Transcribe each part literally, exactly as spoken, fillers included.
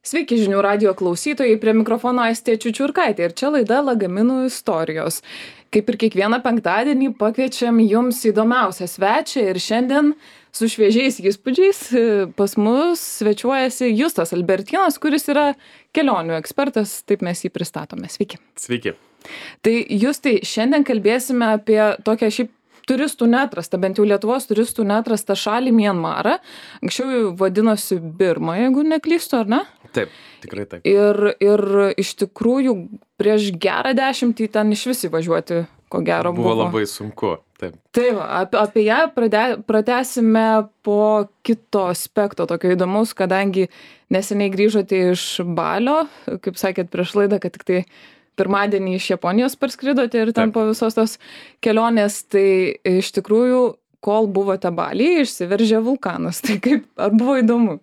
Sveiki žinių radijo klausytojai, prie mikrofono Aistė Čiučiurkaitė ir čia laida Lagaminų istorijos. Kaip ir kiekvieną penktadienį pakviečiam jums įdomiausią svečią ir šiandien su šviežiais įspūdžiais pas mus svečiuojasi Justas Albertinas, kuris yra kelionių ekspertas, taip mes jį pristatome. Sveiki. Sveiki. Tai Justai, šiandien kalbėsime apie tokią šiaip turistų neatrastą, bent jau Lietuvos turistų neatrastą šalį Mianmarą. Anksčiau vadinosi Birma, jeigu neklystu, ar ne? Taip, tikrai taip. Ir, ir iš tikrųjų prieš gerą dešimtį ten iš vis įvažiuoti, ko gero buvo. Buvo labai sunku, taip. Tai va, apie, apie ją prade, pratęsime po kito aspekto, tokio įdomaus, kadangi neseniai grįžote iš Balio, kaip sakėt prieš laidą, kad tik tai pirmadienį iš Japonijos parskridote ir ten Taip. po visos tos kelionės, tai iš tikrųjų, kol buvote Balyje, išsiveržė vulkanas. Tai kaip, ar buvo įdomu?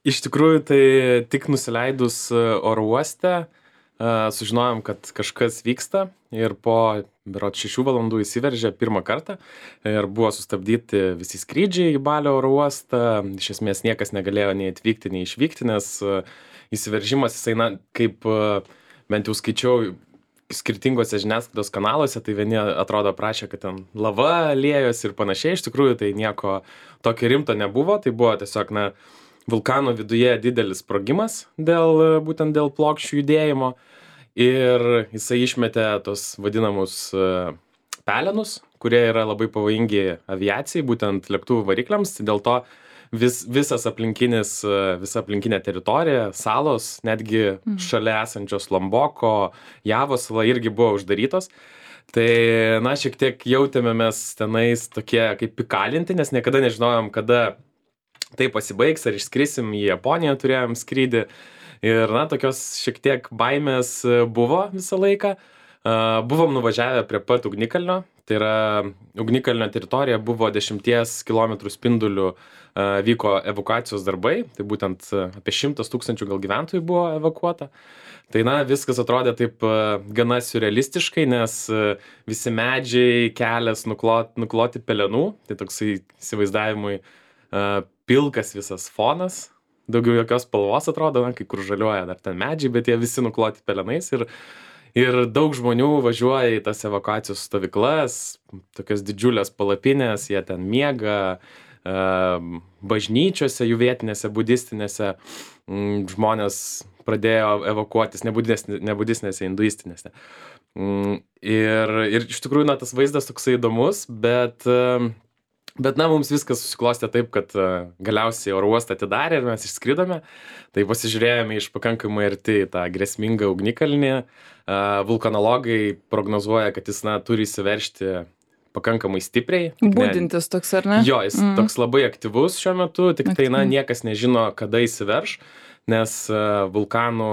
Iš tikrųjų, tai tik nusileidus oro uoste, sužinojom, kad kažkas vyksta ir po berods šešių valandų įsiveržė pirmą kartą ir buvo sustabdyti visi skrydžiai į Balio oro uostą. Iš esmės niekas negalėjo nei atvykti, nei išvykti, nes įsiveržimas jisai, na, kaip bent jau skaičiau skirtingose žiniasklaidos kanaluose, tai vieni atrodo prašė, kad ten lava liejosi ir panašiai. Iš tikrųjų, tai nieko tokio rimto nebuvo. Tai buvo tiesiog, na, vulkano viduje didelis sprogimas dėl, būtent dėl plokščių judėjimo. Ir jisai išmetė tos vadinamus pelenus, kurie yra labai pavojingi aviacijai, būtent lėktuvų varikliams. Dėl to vis, visas aplinkinis, visa aplinkinė teritorija, salos, netgi mm. šalia esančios Lomboko, Javos sala irgi buvo uždarytos. Tai, na, šiek tiek jautėme mes tenais tokie kaip įkalinti, nes niekada nežinojom, kada tai pasibaigs, ar išskrisim į Japoniją, turėjom skrydį. Ir, na, tokios šiek tiek baimės buvo visą laiką. Buvom nuvažiavę prie pat ugnikalnio. Tai yra, ugnikalnio teritorija buvo dešimties kilometrų spindulių vyko evakuacijos darbai, tai būtent apie šimtas tūkstančių gal gyventojų buvo evakuota. Tai, na, viskas atrodė taip gana siurrealistiškai, nes visi medžiai, kelias nukloti, nukloti pelenų, tai toksai įsivaizdavimui pilkas visas fonas, daugiau jokios spalvos atrodo, na, kai kur žaliuoja dar ten medžiai, bet jie visi nukloti pelenais ir Ir daug žmonių važiuoja į tas evakuacijos stovyklas, tokios didžiulės palapinės, jie ten miega, bažnyčiose, jų vietinėse, budistinėse, žmonės pradėjo evakuotis, ne budistinėse, hinduistinėse. Ir, ir iš tikrųjų, na, tas vaizdas toksai įdomus, bet, bet na, mums viskas susiklostė taip, kad galiausiai oro uostą atidarė ir mes išskridome. Tai pasižiūrėjome iš pakankamai arti tą grėsmingą ugnikalnį. Vulkanologai prognozuoja, kad jis, na, turi įsiveržti pakankamai stipriai. Budintis toks, ar ne? Jo, jis mm. toks labai aktyvus šiuo metu, tik tai, na, niekas nežino, kada įsiverš, nes vulkanų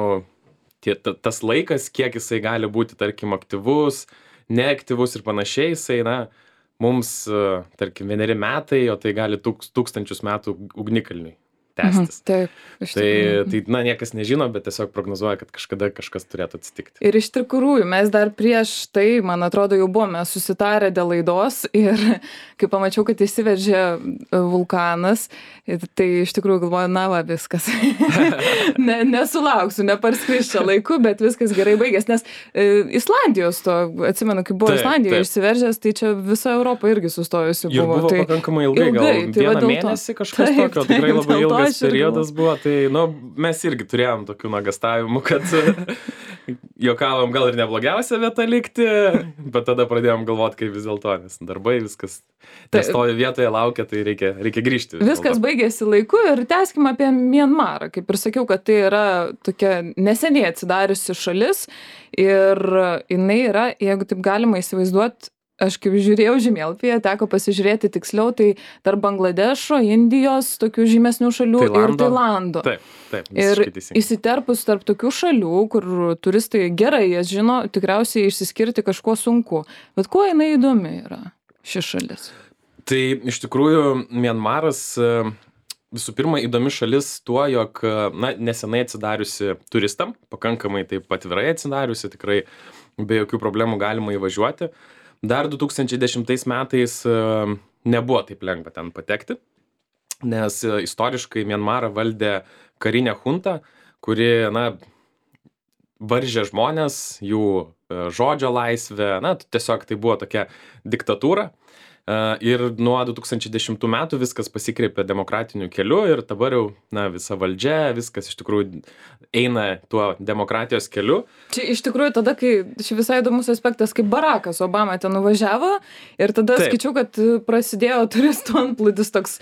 tie, tas laikas, kiek jisai gali būti, tarkim, aktyvus, neaktyvus ir panašiai, jisai, na, mums, tarkim, vieneri metai, o tai gali tūks, tūkstančius metų ugnikalniui tęstis. Mhm, taip, tai, tai, na, niekas nežino, bet tiesiog prognozuoja, kad kažkada kažkas turėtų atsitikti. Ir iš tikrųjų, mes dar prieš tai, man atrodo, jau buvome susitarę dėl laidos ir kai pamačiau, kad įsiveržė vulkanas, tai iš tikrųjų galvoju, na va, viskas. ne, nesulauksiu, neparskris čia laiku, bet viskas gerai baigės, nes e, Islandijos to, atsimenu, kai buvo taip, Islandijoje išsiveržęs, tai čia visa Europa irgi sustojusi buvo. Ir buvo tai, pakankamai ilgai, ilgai gal tai vieną mėnesį kažkas taip, tokio, tikrai taip, labai ilgas periodas buvo, tai, nu, mes irgi turėjom tokių nuogąstavimų, kad juokavom gal ir neblogiausia vieta likti, bet tada pradėjom galvoti, kaip vis dėlto, nes darbai viskas nestovi vietoje, laukia, tai reikia, reikia grįžti. Viskas baigėsi laiku ir tęskime apie Mianmarą. Kaip ir sakiau, kad tai yra tokia neseniai atsidariusi šalis ir jinai yra, jeigu taip galima įsivaizduoti, aš kaip žiūrėjau žemėlapyje, teko pasižiūrėti tiksliau, tai tarp Bangladešo, Indijos, tokių žymesnių šalių Tailando. ir Tailando. Taip, taip, ir įsiterpus tarp tokių šalių, kur turistai gerai jas žino, tikriausiai išsiskirti kažkuo sunku. Bet kuo jinai įdomi yra ši šalis? Tai iš tikrųjų Mianmaras visų pirma įdomi šalis tuo, jog, na, nesenai atsidariusi turistam, pakankamai taip atvirai atsidariusi, tikrai be jokių problemų galima įvažiuoti. Dar du tūkstančiai dešimtais metais nebuvo taip lengva ten patekti, nes istoriškai Mianmarą valdė karinė junta, kuri, na, varžė žmonės, jų e, žodžio laisvę, na, tiesiog tai buvo tokia diktatūra. E, Ir nuo du tūkstančiai dešimtų metų viskas pasikreipė demokratiniu keliu ir dabar jau, na, visa valdžia, viskas iš tikrųjų eina tuo demokratijos keliu. Čia iš tikrųjų tada, kai, čia visai įdomus aspektas, kaip Barackas Obama ten nuvažiavo ir tada Taip. skaičiau, kad prasidėjo turistų antplūdis toks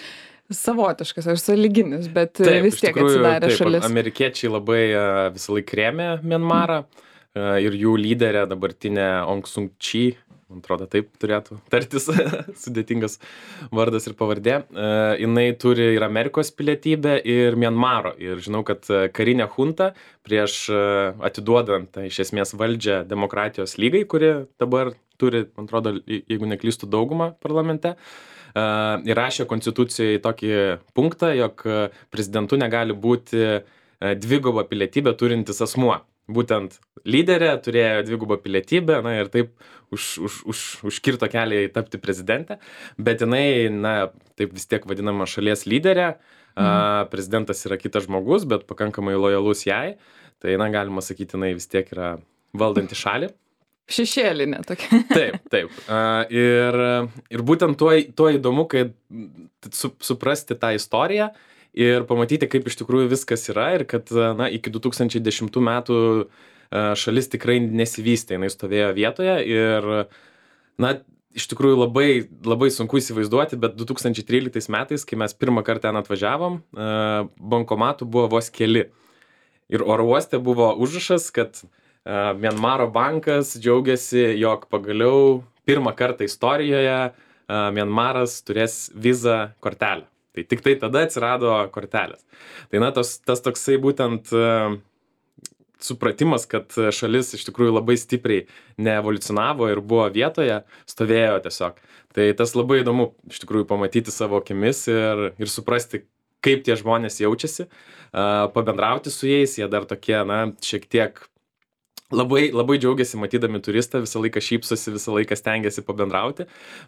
savotiškas ar sąlyginis, bet Taip, vis iš tiek tikrųjų, atsidarė taip, šalis. Amerikiečiai labai e, visą laiką rėmė Mianmarą e, ir jų lyderė dabartinė Aung San Suu Kyi, man atrodo taip turėtų tartis, sudėtingas vardas ir pavardė. E, Jinai turi ir Amerikos pilietybę, ir Mianmaro. Ir žinau, kad e, karinė junta prieš e, atiduodant e, iš esmės valdžią demokratijos lygai, kuri dabar turi, man atrodo, je- jeigu neklystu, daugumą parlamente, e, įrašė konstitucijoje tokį punktą, jog e, prezidentu negali būti e, dvigubą pilietybę turintis asmuo. Būtent lyderė turėjo dvigubą pilietybę, na ir taip už, už, už, užkirto kelią į tapti prezidentę, bet jinai, na, taip vis tiek vadinama šalies lyderė, a, prezidentas yra kitas žmogus, bet pakankamai lojalus jai, tai, na, galima sakyti, jinai vis tiek yra valdanti šalį. Šešėlinė tokia. Taip, taip. A, Ir, ir būtent tuo, tuo įdomu, kad su, suprasti tą istoriją ir pamatyti, kaip iš tikrųjų viskas yra ir kad, na, iki du tūkstančiai dešimtų metų a, šalis tikrai nesivystė, jinai stovėjo vietoje ir, na, iš tikrųjų labai, labai sunku įsivaizduoti, bet du tūkstančiai tryliktais metais, kai mes pirmą kartą ten atvažiavom, a, bankomatų buvo vos keli. Ir oro uoste buvo užrašas, kad a, Mianmaro bankas džiaugiasi, jog pagaliau pirmą kartą istorijoje a, Mianmaras turės vizą kortelę. Tai tik tai tada atsirado kortelės. Tai, na, tos, tas toksai būtent a, supratimas, kad šalis iš tikrųjų labai stipriai neevoliucionavo ir buvo vietoje, stovėjo tiesiog. Tai tas labai įdomu iš tikrųjų pamatyti savo akimis ir, ir suprasti, kaip tie žmonės jaučiasi, a, pabendrauti su jais, jie dar tokie, na, šiek tiek labai, labai džiaugiasi matydami turistą, visą laiką šypsosi, visą laiką stengiasi pabendrauti,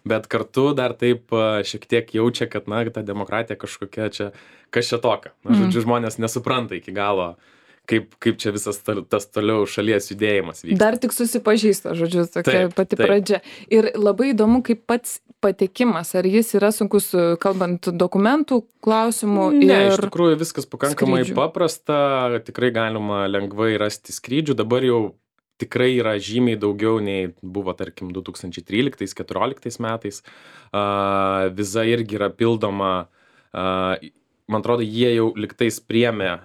bet kartu dar taip a, šiek tiek jaučia, kad, na, ta demokratija kažkokia čia, kas čia tokia. Na, žodžiu, žmonės nesupranta iki galo, kaip, kaip čia visas ta- tas toliau šalies judėjimas vyksta. Dar tik susipažįsta, žodžiu, tokia Taip, pati taip. pradžia. Ir labai įdomu, kaip pats patekimas, ar jis yra sunkus, kalbant dokumentų klausimų Ne, iš ir... tikrųjų viskas pakankamai skrydžių. paprasta, tikrai galima lengvai rasti skrydžių, dabar jau tikrai yra žymiai daugiau nei buvo, tarkim, du tūkstančiai tryliktais keturioliktais metais. A, Viza irgi yra pildoma, a, man atrodo, jie jau liktais priėmė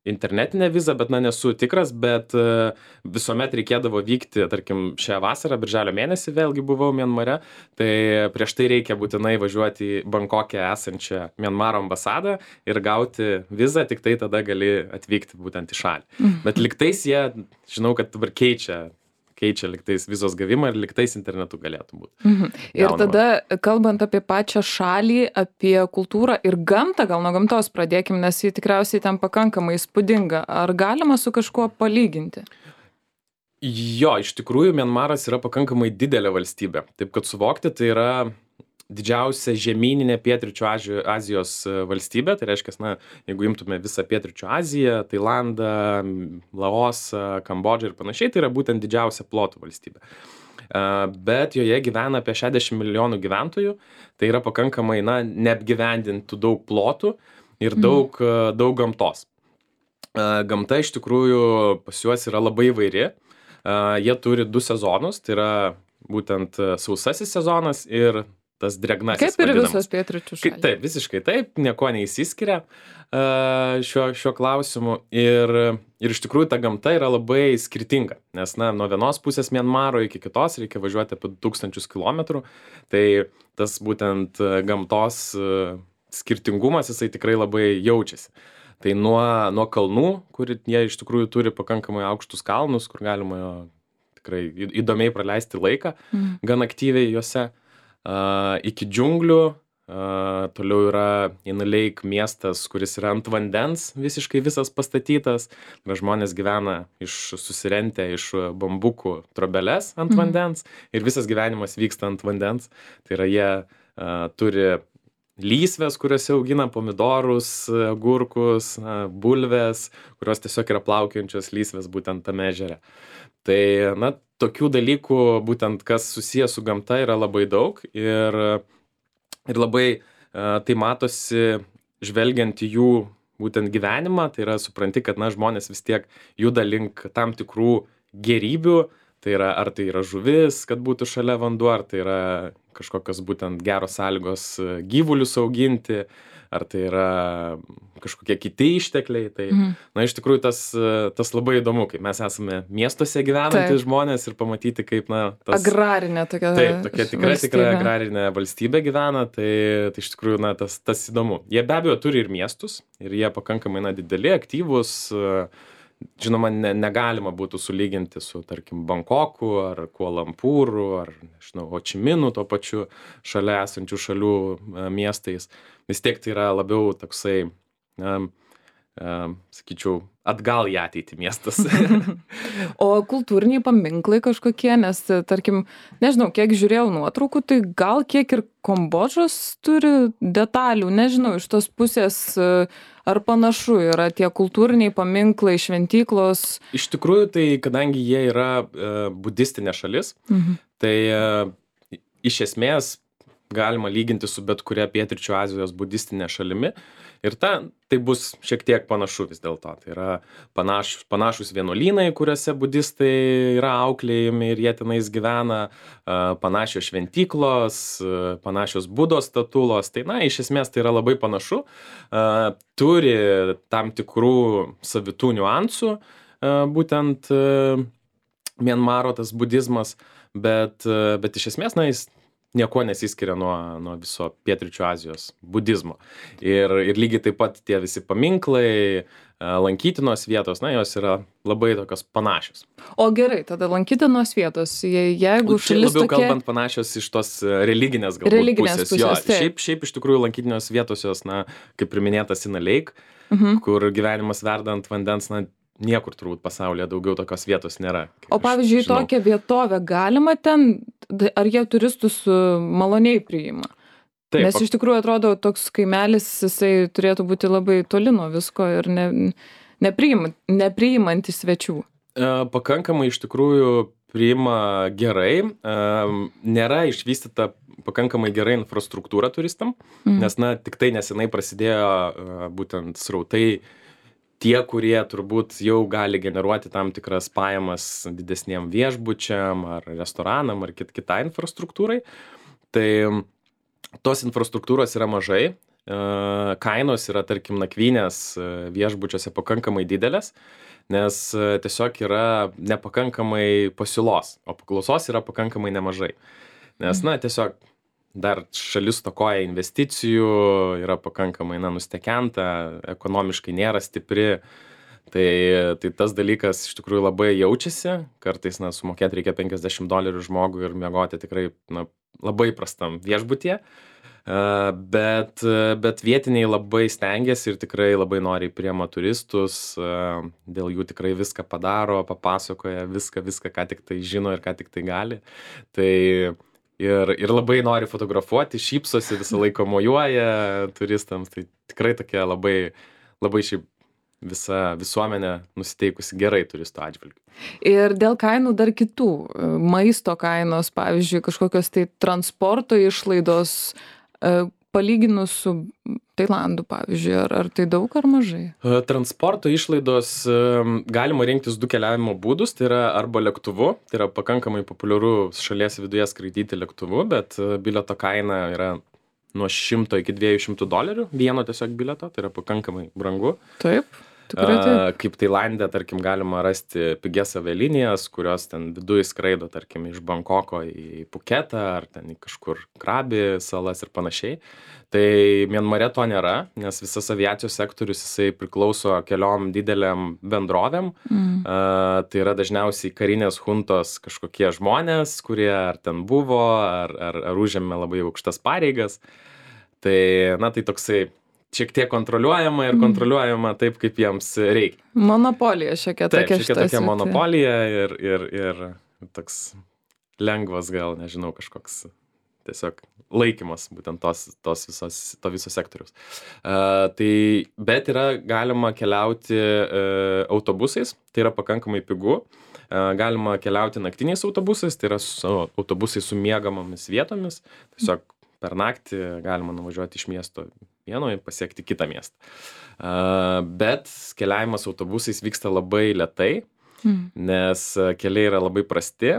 internetinę vizą, bet, na, nesu tikras, bet a, visuomet reikėdavo vykti, tarkim, šią vasarą, birželio mėnesį vėlgi buvau Mianmare, tai prieš tai reikia būtinai važiuoti į Bankoke esančią Mianmaro ambasadą ir gauti vizą, tik tai tada gali atvykti būtent į šalį. Bet liktais jie, žinau, kad dabar keičia, keičia liktais vizos gavimą ir liktais internetu galėtų būti. Mhm. Ir gaunama. tada, kalbant apie pačią šalį, apie kultūrą ir gamtą, gal nuo gamtos pradėkim, nes ji tikriausiai ten pakankamai įspūdinga. Ar galima su kažkuo palyginti? Jo, iš tikrųjų, Mianmaras yra pakankamai didelė valstybė. Taip kad suvokti, tai yra didžiausia žemyninė pietryčių Aži- Azijos e, valstybė. Tai reiškia, na, jeigu imtume visą pietryčių Aziją, Tailandą, m, Laosą, Kambodžą ir panašiai, tai yra būtent didžiausia plotų valstybė. E, Bet joje gyvena apie šešiasdešimt milijonų gyventojų. Tai yra pakankamai, na, neapgyvendintų daug plotų ir daug, e, daug gamtos. E, Gamta iš tikrųjų pas juos yra labai įvairi. E, Jie turi du sezonus, tai yra būtent e, sausasis sezonas ir tas drėgnasis. Kaip ir vadinamas. visos pietryčių Kaip, šalys. taip, visiškai taip, nieko neįsiskiria e, šiuo, šiuo klausimu. Ir, ir iš tikrųjų ta gamta yra labai skirtinga, nes, na, nuo vienos pusės Mianmaro iki kitos reikia važiuoti apie tūkstančius kilometrų. Tai tas būtent e, gamtos e, skirtingumas, jisai tikrai labai jaučiasi. Tai nuo, nuo kalnų, kur jie iš tikrųjų turi pakankamai aukštus kalnus, kur galima jo tikrai į- įdomiai praleisti laiką, Mhm. gan aktyviai juose, a, iki džiunglių, a, toliau yra Inaleik miestas, kuris yra ant vandens, visiškai visas pastatytas. Na, žmonės gyvena iš susirentę iš bambukų trobeles ant Mhm. vandens ir visas gyvenimas vyksta ant vandens. Tai yra jie a, turi lysvės, kuriuose augina pomidorus, agurkus, na, bulves, kurios tiesiog yra plaukiančios lysvės būtent tame ežere. Tai, na, tokių dalykų, būtent kas susijęs su gamta, yra labai daug ir, ir labai uh, tai matosi žvelgiant į jų būtent gyvenimą, tai yra supranti, kad, na, žmonės vis tiek juda link tam tikrų gerybių, tai yra, ar tai yra žuvis, kad būtų šalia vanduo, ar tai yra kažkokios būtent geros sąlygos gyvulius auginti, ar tai yra kažkokie kiti ištekliai. Tai, mhm. na, iš tikrųjų, tas, tas labai įdomu, kai mes esame miestuose gyvenantys žmonės ir pamatyti, kaip, na, tas... Agrarinė tokia. Taip, tokia tikrai, tikrai agrarinė valstybė gyvena, tai, tai iš tikrųjų, na, tas, tas įdomu. Jie be abejo turi ir miestus, ir jie pakankamai, na, dideli, aktyvūs. Žinoma, ne, negalima būtų sulyginti su, tarkim, Bankoku ar Kualampūru ar, nežinau, Hočiminu, to pačiu šalia esančių šalių a, miestais. Vis tiek tai yra labiau toksai, na, a, sakyčiau, atgal į ateitį miestas. O kultūriniai paminklai kažkokie, nes, tarkim, nežinau, kiek žiūrėjau nuotraukų, tai gal kiek ir Kambodžos turi detalių, nežinau, iš tos pusės, ar panašu yra tie kultūriniai paminklai, šventyklos. Iš tikrųjų, tai kadangi jie yra e, budistinė šalis, mhm. tai e, iš esmės galima lyginti su bet kuria Pietryčių Azijos budistinė šalimi. Ir ta, tai bus šiek tiek panašu vis dėlto. Tai yra panašus, panašus vienuolynai, kuriuose budistai yra auklėjami ir jie tenais gyvena, panašios šventyklos, panašios Budos statulos. Tai, na, iš esmės tai yra labai panašu. Turi tam tikrų savitų niuansų, būtent Mianmaro tas budizmas, bet, bet iš esmės, na, jis niekuo nesiskiria nuo, nuo viso Pietryčių Azijos budizmo. Ir, ir lygiai taip pat tie visi paminklai, lankytinos vietos, na, jos yra labai tokios panašios. O gerai, tada lankytinos vietos, je, jeigu šalis labiau tokia... kalbant panašios iš tos religinės galbūt religinės pusės. pusės Jo, taip. šiaip, šiaip iš tikrųjų lankytinos vietos jos, na, kaip ir minėtas Sina Lake, Mhm. kur gyvenimas verda ant vandens, na, niekur turbūt pasaulyje daugiau tokios vietos nėra. O pavyzdžiui, tokią vietovę galima ten, ar jie turistus maloniai priima? Taip, Nes iš tikrųjų atrodo, toks kaimelis, jisai turėtų būti labai toli nuo visko ir ne, nepriima, nepriimantis svečių. Pakankamai iš tikrųjų priima gerai, nėra išvystyta pakankamai gerai infrastruktūra turistam, mm. nes, na, tik tai nesenai prasidėjo būtent srautai tie, kurie turbūt jau gali generuoti tam tikras pajamas didesniem viešbučiam ar restoranam ar kit, kitai infrastruktūrai. Tai tos infrastruktūros yra mažai, kainos yra, tarkim, nakvynės viešbučiuose pakankamai didelės, nes tiesiog yra nepakankamai pasiūlos, o paklausos yra pakankamai nemažai. Nes, na, tiesiog dar šalis stokoja investicijų, yra pakankamai, na, nustekenta, ekonomiškai nėra stipri. Tai, tai tas dalykas iš tikrųjų labai jaučiasi. Kartais, na, sumokėti reikia penkiasdešimt dolerių žmogui ir miegoti tikrai, na, labai prastam viešbutyje. Bet, bet vietiniai labai stengiasi ir tikrai labai noriai priema turistus. Dėl jų tikrai viską padaro, papasakoja viską, viską, ką tik tai žino ir ką tik tai gali. Tai Ir, ir labai nori fotografuoti, šypsosi, visą laiką mojuoja turistams. Tai tikrai tokia labai, labai šiaip visa visuomenė nusiteikusi gerai turistų atžvilgiu. Ir dėl kainų dar kitų. Maisto kainos, pavyzdžiui, kažkokios tai transporto išlaidos, palyginus su Tailandu, pavyzdžiui, ar, ar tai daug ar mažai? Transporto išlaidos galima rinktis du keliavimo būdus, tai yra arba lėktuvu, tai yra pakankamai populiaru šalies viduje skraidyti lėktuvu, bet bilieto kaina yra nuo šimto iki dviejų šimtų dolerių, vieno tiesiog bilieto, tai yra pakankamai brangu. Taip. Tikrai taip. Kaip Tailande, tarkim, galima rasti pigias avialinijas, kurios ten viduj skraido, tarkim, iš Bankoko į Puketą ar ten į kažkur Krabi salas ir panašiai. Tai Mianmare to nėra, nes visas aviacijos sektorius jisai priklauso keliom dideliam bendrovėm. Mm. Uh, tai yra dažniausiai karinės huntos kažkokie žmonės, kurie ar ten buvo, ar, ar, ar užėmė labai aukštas pareigas. Tai, na, tai toksai šiek tiek kontroliuojama ir kontroliuojama taip, kaip jiems reikia. Monopolija šiokia tokia. Taip, šiokia tokia monopolija ir, ir, ir toks lengvas gal, nežinau, kažkoks tiesiog laikymas būtent tos, tos visos, to viso sektoriaus. Uh, tai, bet yra galima keliauti uh, autobusais, tai yra pakankamai pigu. Uh, galima keliauti naktiniais autobusais, tai yra su autobusai su miegamomis vietomis. Tiesiog per naktį galima nuvažiuoti iš miesto vieno ir pasiekti kitą miestą. Uh, bet keliavimas autobusais vyksta labai lėtai, mm. nes keliai yra labai prasti.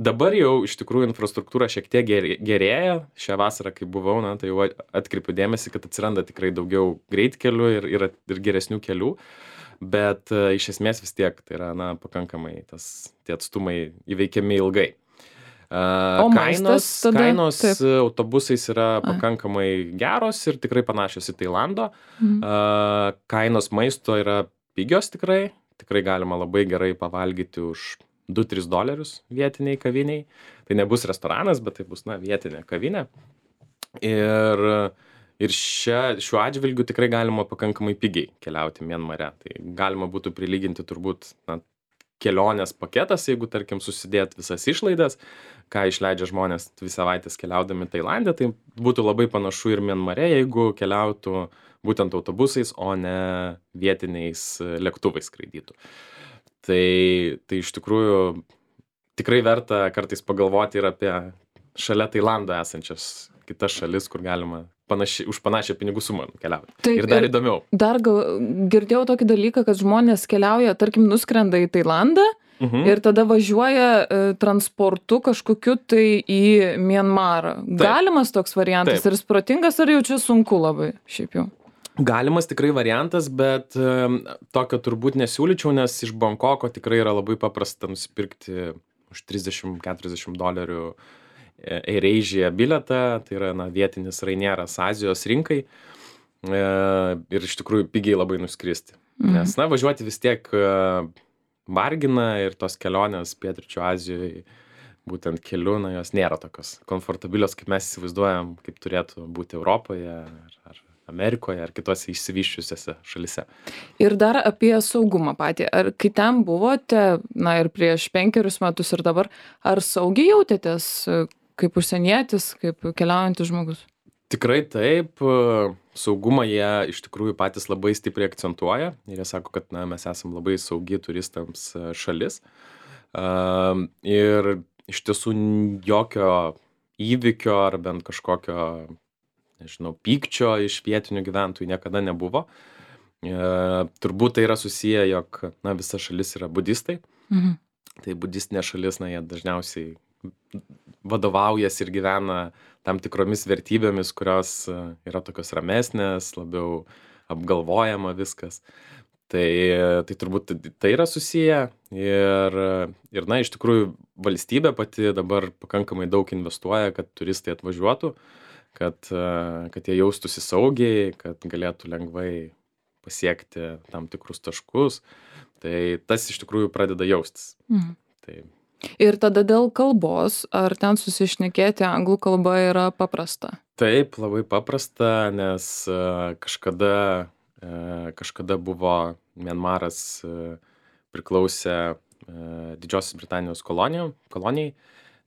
Dabar jau iš tikrųjų infrastruktūra šiek tiek gerėja. Šią vasarą, kai buvau, na, tai jau atkreipiu dėmesį, kad atsiranda tikrai daugiau greitkelių ir, ir, ir geresnių kelių. Bet uh, iš esmės vis tiek tai yra, na, pakankamai tas, tie atstumai įveikiami ilgai. Uh, o kainos, tada, kainos taip. autobusais yra pakankamai geros ir tikrai panašios į Tailando. Mhm. Uh, kainos maisto yra pigios tikrai. Tikrai galima labai gerai pavalgyti už du tris dolerius vietiniai kaviniai. Tai nebus restoranas, bet tai bus, na, vietinė kavinė. Ir, ir šia, šiuo atžvilgiu tikrai galima pakankamai pigiai keliauti Mianmare. Tai galima būtų prilyginti turbūt, na, kelionės paketas, jeigu, tarkim, susidėt visas išlaidas, ką išleidžia žmonės dvi savaitės keliaudami Tailande, tai būtų labai panašu ir Mianmare, jeigu keliautų būtent autobusais, o ne vietiniais lėktuvais skraidytų. Tai, tai iš tikrųjų tikrai verta kartais pagalvoti ir apie šalia Tailando esančias kitas šalis, kur galima panaši, už panašią pinigų sumą keliauti. Taip, ir dar įdomiau. Dar gal, girdėjau tokį dalyką, kad žmonės keliauja, tarkim, nuskrenda į Tailandą mhm. ir tada važiuoja e, transportu kažkokiu tai į Mianmarą. Taip. Galimas toks variantas? Taip. Ir jis protingas, ar jau čia sunku labai šiaip jau? Galimas tikrai variantas, bet um, tokio turbūt nesiūlyčiau, nes iš Bankoko tikrai yra labai paprasta nusipirkti už trisdešimt keturiasdešimt dolerių AirAsia bilietą, tai yra, na, vietinis Rainieras Azijos rinkai e, ir iš tikrųjų pigiai labai nuskristi. Mhm. Nes, na, važiuoti vis tiek vargina ir tos kelionės pietryčių Azijoje būtent keliu, na, jos nėra tokios komfortabilios, kaip mes įsivaizduojam, kaip turėtų būti Europoje ar, ar Amerikoje ar kitose išsivysčiusiose šalise. Ir dar apie saugumą patį. Ar kai ten buvote, na ir prieš penkerius metus ir dabar, ar saugiai jautėtės kaip užsienietis, kaip keliaujantis žmogus? Tikrai taip. Saugumą jie iš tikrųjų patys labai stipriai akcentuoja. Ir jie sako, kad, na, mes esam labai saugi turistams šalis. Uh, ir iš tiesų jokio įvykio ar bent kažkokio, nežinau, pykčio iš vietinių gyventojų niekada nebuvo. E, turbūt tai yra susiję, jog, na, visa šalis yra budistai. Mhm. Tai budistinė šalis, na, jie dažniausiai vadovaujasi ir gyvena tam tikromis vertybėmis, kurios yra tokios ramesnės, labiau apgalvojama viskas. Tai, tai turbūt tai yra susiję ir, ir, na, iš tikrųjų valstybė pati dabar pakankamai daug investuoja, kad turistai atvažiuotų, kad, kad jie jaustųsi saugiai, kad galėtų lengvai pasiekti tam tikrus taškus. Tai tas iš tikrųjų pradeda jaustis. Mhm. Tai... Ir tada dėl kalbos, ar ten susišnekėti anglų kalba yra paprasta? Taip, labai paprasta, nes kažkada, kažkada buvo Mianmaras priklausė Didžiosios Britanijos kolonijai. kolonijai.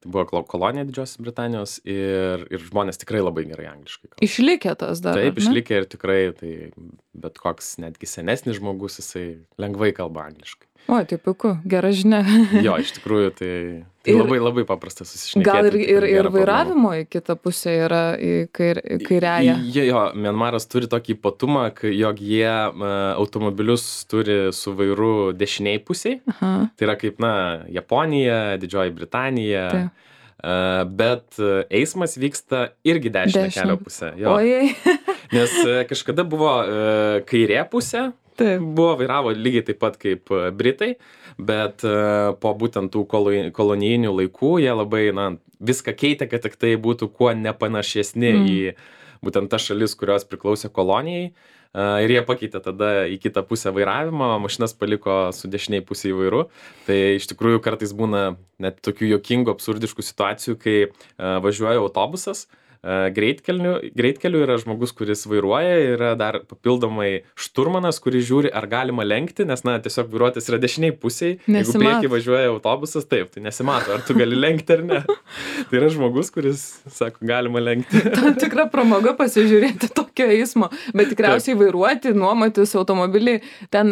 Tai buvo kolonija Didžiosios Britanijos ir, ir žmonės tikrai labai gerai angliškai kalba. Išlikė tas dar? Taip, išlikė ir tikrai, tai bet koks netgi senesnis žmogus, jisai lengvai kalba angliškai. O, tai puiku, gera žinia. Jo, iš tikrųjų, tai, tai ir, labai labai paprasta susišnekėti. Gal ir, ir, ir vairavimo į kitą pusę yra į kair, kairiąją? Jo, jo, Mianmaras turi tokį ypatumą, jog jie uh, automobilius turi su vairu dešiniai pusiai. Aha. Tai yra kaip, na, Japonija, Didžioji Britanija. Taip. Uh, bet eismas vyksta irgi dešinę kelio pusę. Jo. Ojei. Nes uh, kažkada buvo uh, kairė pusė. Taip. Buvo vairavo lygiai taip pat kaip Britai, bet uh, po būtent tų kolonijinių laikų jie labai, na, viską keitė, kad tik tai būtų kuo nepanašesni mm. į būtent tas šalis, kurios priklausė kolonijai. Uh, ir jie pakeitė tada į kitą pusę vairavimą, mašinas paliko su dešiniai pusė į vairu. Tai iš tikrųjų kartais būna net tokių jokingų, absurdiškų situacijų, kai uh, važiuoja autobusas, greitkeliu, greitkeliu yra žmogus, kuris vairuoja, yra dar papildomai šturmanas, kuris žiūri, ar galima lenkti, nes, na, tiesiog vairuotis yra dešiniai pusiai. Jeigu prieki važiuoja autobusas, taip, tai nesimato, ar tu gali lenkti ar ne. Tai yra žmogus, kuris sako, galima lenkti. Tam tikra pramoga pasižiūrėti tokio eismo, bet tikriausiai taip. Vairuoti, nuomotis automobilį, ten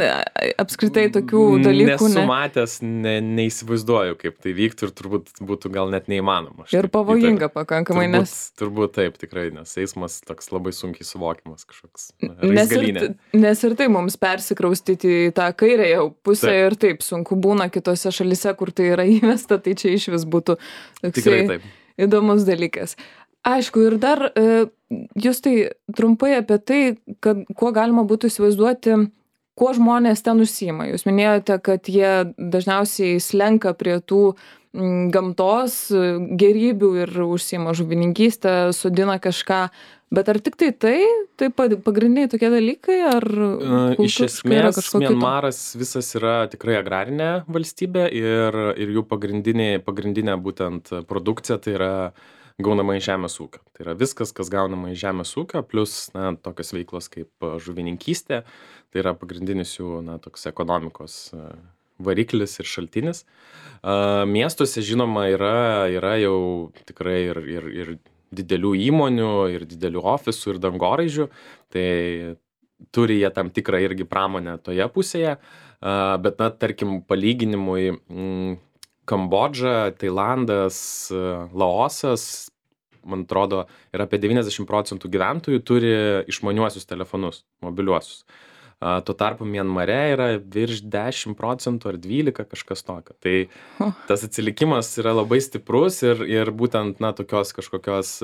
apskritai tokių dalykų. Nesu ne... matęs, ne, neįsivaizduoju, kaip tai vyktų ir turbūt būtų gal net neįmanoma. Ir pavojinga pakankamai, turbūt, nes... Turbūt taip, tikrai, nes eismas toks labai sunkiai suvokiamas kažkoks. Nes ir, nes ir tai mums persikraustyti į tą kairėje pusę taip. Ir taip sunku būna kitose šalise, kur tai yra įvesta, tai čia iš vis būtų toksai įdomus dalykas. Aišku, ir dar jūs tai trumpai apie tai, kad kuo galima būtų įsivaizduoti, kuo žmonės ten užsiima. Jūs minėjote, kad jie dažniausiai slenka prie tų gamtos gėrybių ir užsiima žuvininkystę, sodina kažką, bet ar tik tai tai, tai pagrindiniai tokie dalykai, ar iš esmės Mianmaras visas yra tikrai agrarinė valstybė ir, ir jų pagrindinė, pagrindinė būtent produkcija tai yra gaunama iš žemės ūkio. Tai yra viskas, kas gaunama iš žemės ūkio, plus na, tokios veiklos kaip žuvininkystė, tai yra pagrindinis jų na, toks ekonomikos variklis ir šaltinis. Uh, miestuose, žinoma, yra, yra jau tikrai ir, ir, ir didelių įmonių, ir didelių ofisų, ir dangoraižių. Tai turi jie tam tikrą irgi pramonę toje pusėje. Uh, bet, na, tarkim, palyginimui mm, Kambodža, Tailandas, Laosas, man atrodo, ir apie devyniasdešimt procentų gyventojų turi išmaniuosius telefonus, mobiliuosius. Tuo tarpu Mianmare yra virš dešimt procentų ar dvylika kažkas tokio. Tai tas atsilikimas yra labai stiprus ir, ir būtent na, tokios kažkokios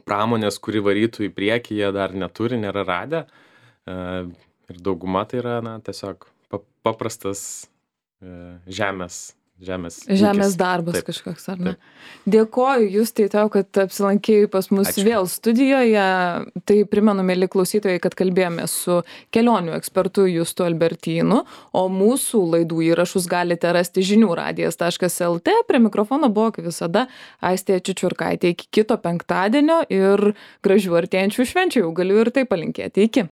pramonės, kuri varytų į priekį, jie dar neturi, nėra radę. Ir dauguma tai yra na, tiesiog paprastas žemės. Žemės, Žemės darbas taip, kažkoks, ar ne? Taip. Dėkoju Justai tau, kad apsilankėjai pas mus Ačiū. Vėl studijoje. Tai primenu, mėly klausytojai, kad kalbėjome su kelionių ekspertu Justu Albertynu, o mūsų laidų įrašus galite rasti žinių radijas taškas lt. Prie mikrofono buvo, kaip visada, Aistė Čičiurkaitė. Iki kito penktadienio ir gražių artėjančių švenčių, jau galiu ir tai palinkėti. Iki.